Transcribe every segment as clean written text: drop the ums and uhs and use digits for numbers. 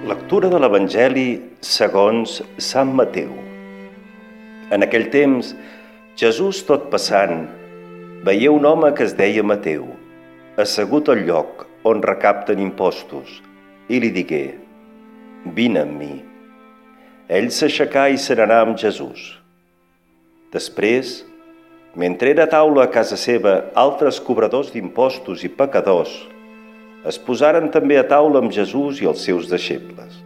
Lectura de l'Evangeli segons Sant Mateu. En aquell temps, Jesús, tot passant, veia un home que es deia Mateu, assegut al lloc on recapten impostos, i li digué: «Vine amb mi». Ell s'aixecà i se n'anà amb Jesús. Després, mentre era a taula a casa seva altres cobradors d'impostos i pecadors, es posaren també a taula amb Jesús i els seus deixebles.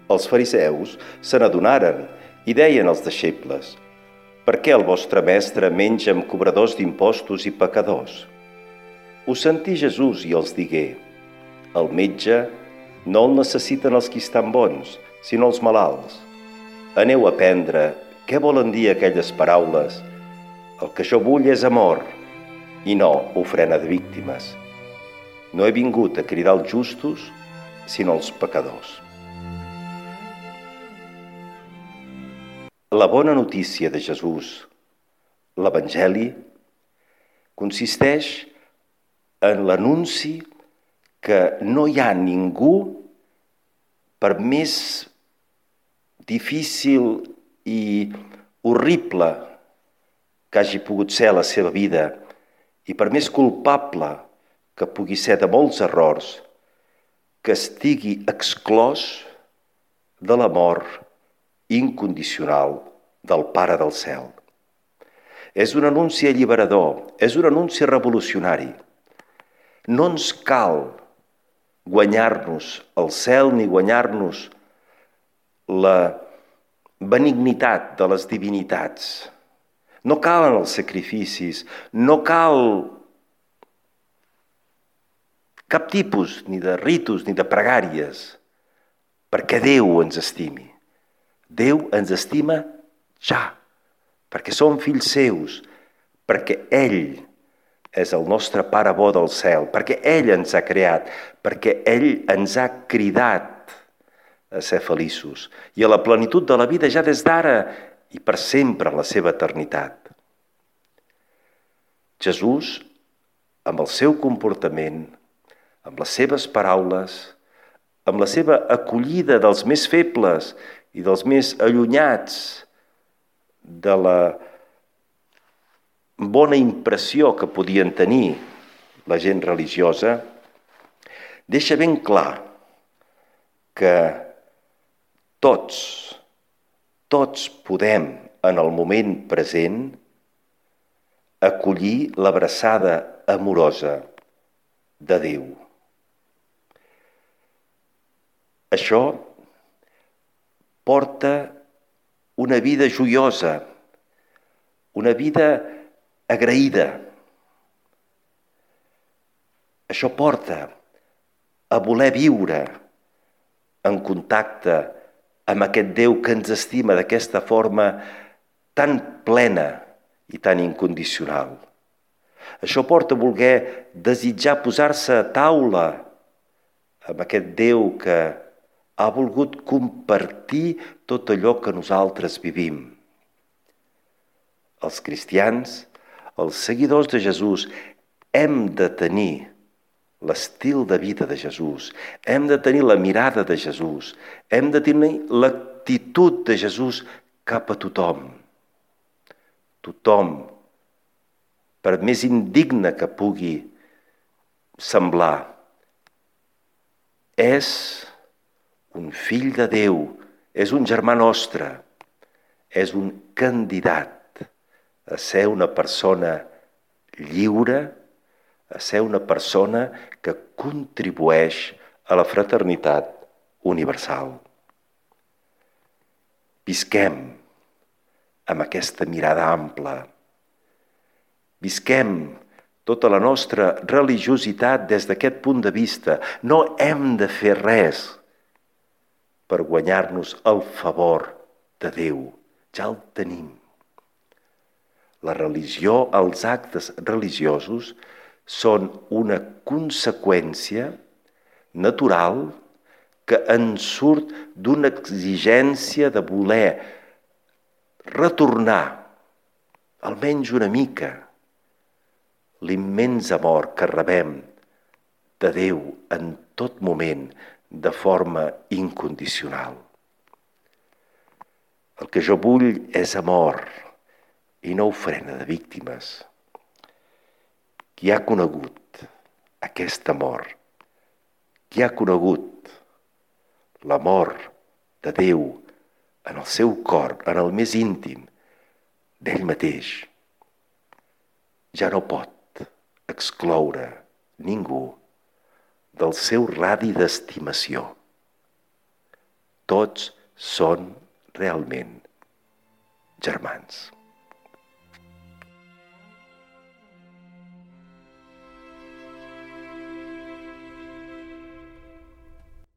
Els fariseus se n'adonaren i deien als deixebles: «Per què el vostre mestre menja amb cobradors d'impostos i pecadors?» Ho sentí Jesús i els digué: «El metge no el necessiten els qui estan bons, sinó els malalts. Aneu a aprendre què volen dir aquelles paraules: el que jo vull és amor, i no ofrena de víctimes. No he vingut a cridar els justos, sinó els pecadors». La bona notícia de Jesús, l'Evangeli, consisteix en l'anunci que no hi ha ningú, per més difícil i horrible que hagi pogut ser la seva vida i per més culpable que pugui ser de molts errors, que estigui exclòs de l'amor incondicional del Pare del Cel. És un anunci alliberador, és un anunci revolucionari. No ens cal guanyar-nos el cel ni guanyar-nos la benignitat de les divinitats. No calen els sacrificis, no cal cap tipus ni de ritus ni de pregàries, perquè Déu ens estimi. Déu ens estima ja, perquè som fills seus, perquè Ell és el nostre Pare bo del cel, perquè Ell ens ha creat, perquè Ell ens ha cridat a ser feliços i a la plenitud de la vida ja des d'ara i per sempre en la seva eternitat. Jesús, amb el seu comportament, amb les seves paraules, amb la seva acollida dels més febles i dels més allunyats de la bona impressió que podien tenir la gent religiosa, deixa ben clar que tots podem, en el moment present, acollir l'abraçada amorosa de Déu. Això porta una vida joiosa, una vida agraïda. Això porta a voler viure en contacte amb aquest Déu que ens estima d'aquesta forma tan plena i tan incondicional. Això porta a voler desitjar posar-se a taula amb aquest Déu que ha volgut compartir tot allò que nosaltres vivim. Els cristians, els seguidors de Jesús, hem de tenir l'estil de vida de Jesús, hem de tenir la mirada de Jesús, hem de tenir l'actitud de Jesús cap a tothom. Tothom, per més indigne que pugui semblar, és un fill de Déu, és un germà nostre, és un candidat a ser una persona lliure, a ser una persona que contribueix a la fraternitat universal. Visquem amb aquesta mirada ampla. Visquem tota la nostra religiositat des d'aquest punt de vista. No hem de fer res per guanyar-nos el favor de Déu. Ja el tenim. La religió, els actes religiosos, són una conseqüència natural que en surt d'una exigència de voler retornar, almenys una mica, l'immens amor que rebem de Déu en tot moment, de forma incondicional. El que jo vull és amor i no ofrena de víctimes. Qui ha conegut aquest amor, qui ha conegut l'amor de Déu en el seu cor, en el més íntim d'ell mateix, ja no pot excloure ningú del seu radi d'estimació. Tots són realment germans.